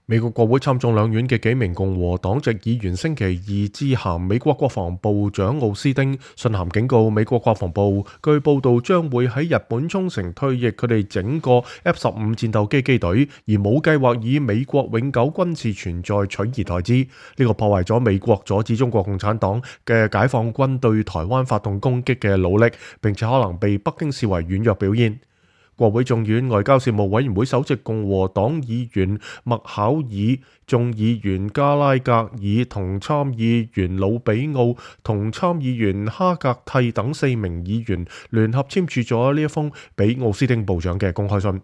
美國國會參眾兩院嘅幾名共和黨籍議員星期二致函美國國防部長奧斯汀，信函警告美國國防部，據報道將會喺日本沖繩退役佢哋整個 F-15戰鬥機機隊，而冇計劃以美國永久軍事存在取而代之。呢個破壞咗美國阻止中國共產黨嘅解放軍對台灣發動攻擊嘅努力，並且可能被北京視為軟弱表現。國會眾院外交事務委員會首席共和黨議員麥考爾、眾議員加拉格爾同參議員魯比奧同參議員哈格蒂等4名議員聯合簽署咗呢一封俾奧斯汀部長嘅公開信。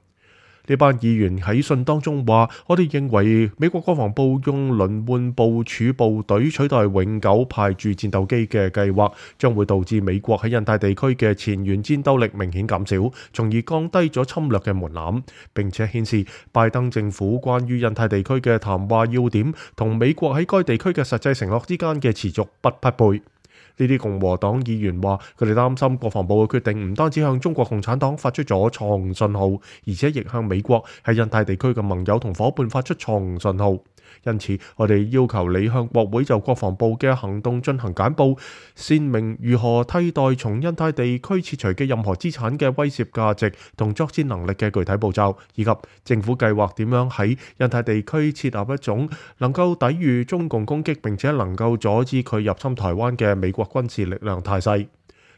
呢班議員喺信當中話：我哋認為美國國防部用輪換部署部隊取代永久派駐戰鬥機嘅計劃，將會導致美國喺印太地區嘅前沿戰鬥力明顯減少，從而降低咗侵略嘅門檻，並且顯示拜登政府關於印太地區嘅談話要點同美國喺該地區嘅實際承諾之間嘅持續不匹配。呢啲共和黨議員話，佢哋擔心國防部嘅決定唔單止向中國共產黨發出咗錯誤信號，而且亦向美國喺印太地區嘅盟友同夥伴發出錯誤信號。因此，我哋要求你向國會就國防部嘅行動進行簡報，闡明如何替代從印太地區撤除嘅任何資產嘅威懾價值同作戰能力嘅具體步驟，以及政府計劃點樣喺印太地區設立一種能夠抵禦中共攻擊並且能夠阻止佢入侵台灣嘅美國軍事力量態勢。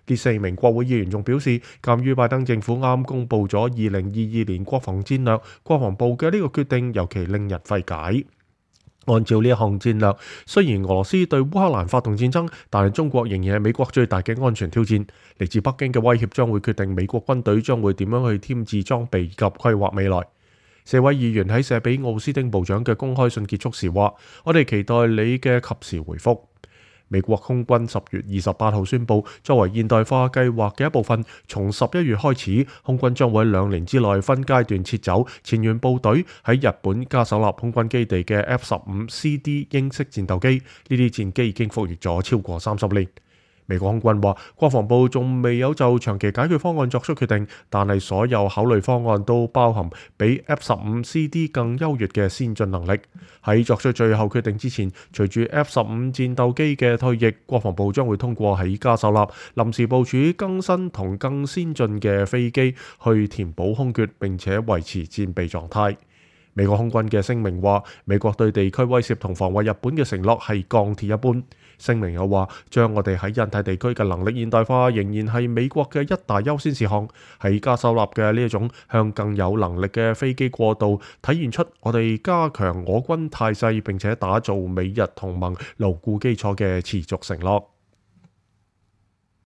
呢4名國會議員仲表示，鑑於拜登政府啱公布咗2022年國防戰略，國防部嘅呢個決定尤其令人費解。按照呢一項戰略，雖然俄羅斯對烏克蘭發動戰爭，但係中國仍然係美國最大嘅安全挑戰。嚟自北京嘅威脅將會決定美國軍隊將會點樣去添置裝備及規劃未來。4位議員喺寫俾奧斯汀部長嘅公開信結束時話：我哋期待你嘅及時回覆。美國空軍10月28號宣布，作為現代化計劃嘅一部分，從11月開始，空軍將會喺2年之內分階段撤走前沿部隊喺日本加手納空軍基地嘅 F-15CD 英式戰鬥機。呢啲戰機已經服役咗超過30年。美國空軍話，國防部仲未有就長期解決方案作出決定，但係所有考慮方案都包含比 F-15CD 更優越嘅先進能力。喺作出最後決定之前，隨住 F-15戰鬥機嘅退役，國防部將會通過喺加手納臨時部署更新同更先進嘅飛機去填補空缺，並且維持戰備狀態。美國空軍嘅聲明話，美國對地區威懾同防衛日本嘅承諾係鋼鐵一般。聲明又話，將我哋喺印太地區嘅能力現代化仍然係美國嘅一大優先事項。喺加手納嘅呢一種向更有能力嘅飛機過渡，體現出我哋加強我軍態勢並且打造美日同盟牢固基礎嘅持續承諾。